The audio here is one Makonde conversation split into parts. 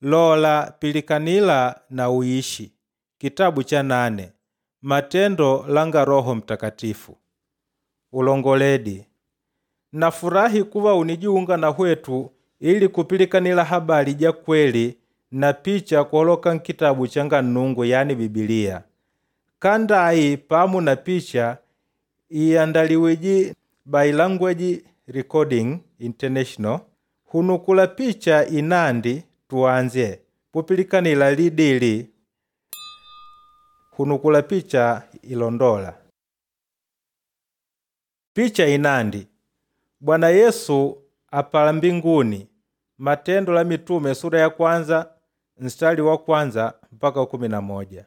Lola pilikanila na uishi. Kitabu cha nane. Matendo langa Roho Mtakatifu. Ulongoledi. Nafurahi kuva unijiunga na hwetu ili kupilikanila habari ja kweli na picha kuhaloka nkitabu changa Nnungu yani Bibilia. Kandayi pamu na picha iandaliwiji by Language Recording International hunukula picha inandi tuanze pupilikanila lidili hunukula picha ilondola. Picha inandi Bwana Yesu apala mbinguni Matendo la Mitume sura ya kwanza mstari wa kwanza mpaka 11.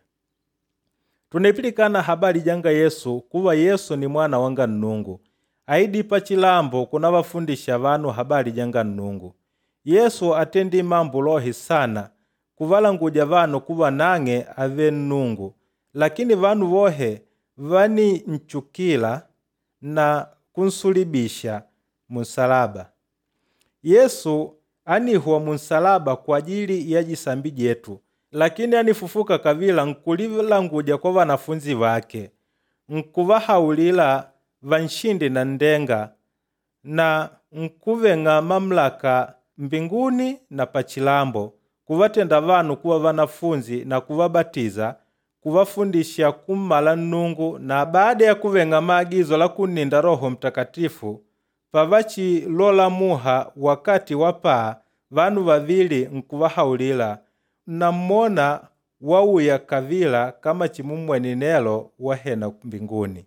Tunepilikana habari janga Yesu kuwa Yesu ni mwana wanga Nnungu aidipa chilambo kunavafundisha vanu habari janga Nnungu. Yesu atendi mambo lohi sana kuvalanguja vanu kuva nang'e ave Nnungu, lakini vanu vohe vaninchukila na kunsulibisha munsalaba. Yesu anihuwa munsalaba kwa ajili ya jisambi jetu, lakini anifufuka kavila nkulilanguja kwa vanafunzi vake, nkuvahaulila vanshindi na ndenga na nkuveng'a mamlaka mbinguni na pachilambo kuvatenda vanu kuva vanafunzi na kuvabatiza kuvafundisha kummala Nnungu na baada ya kuveng'a maagizo la kunninda Roho Mtakatifu pavachilola muha wakati wa paa vanu vavili nkuvahaulila nammona wauya kavila kama chimumweni nelo wahena mbinguni.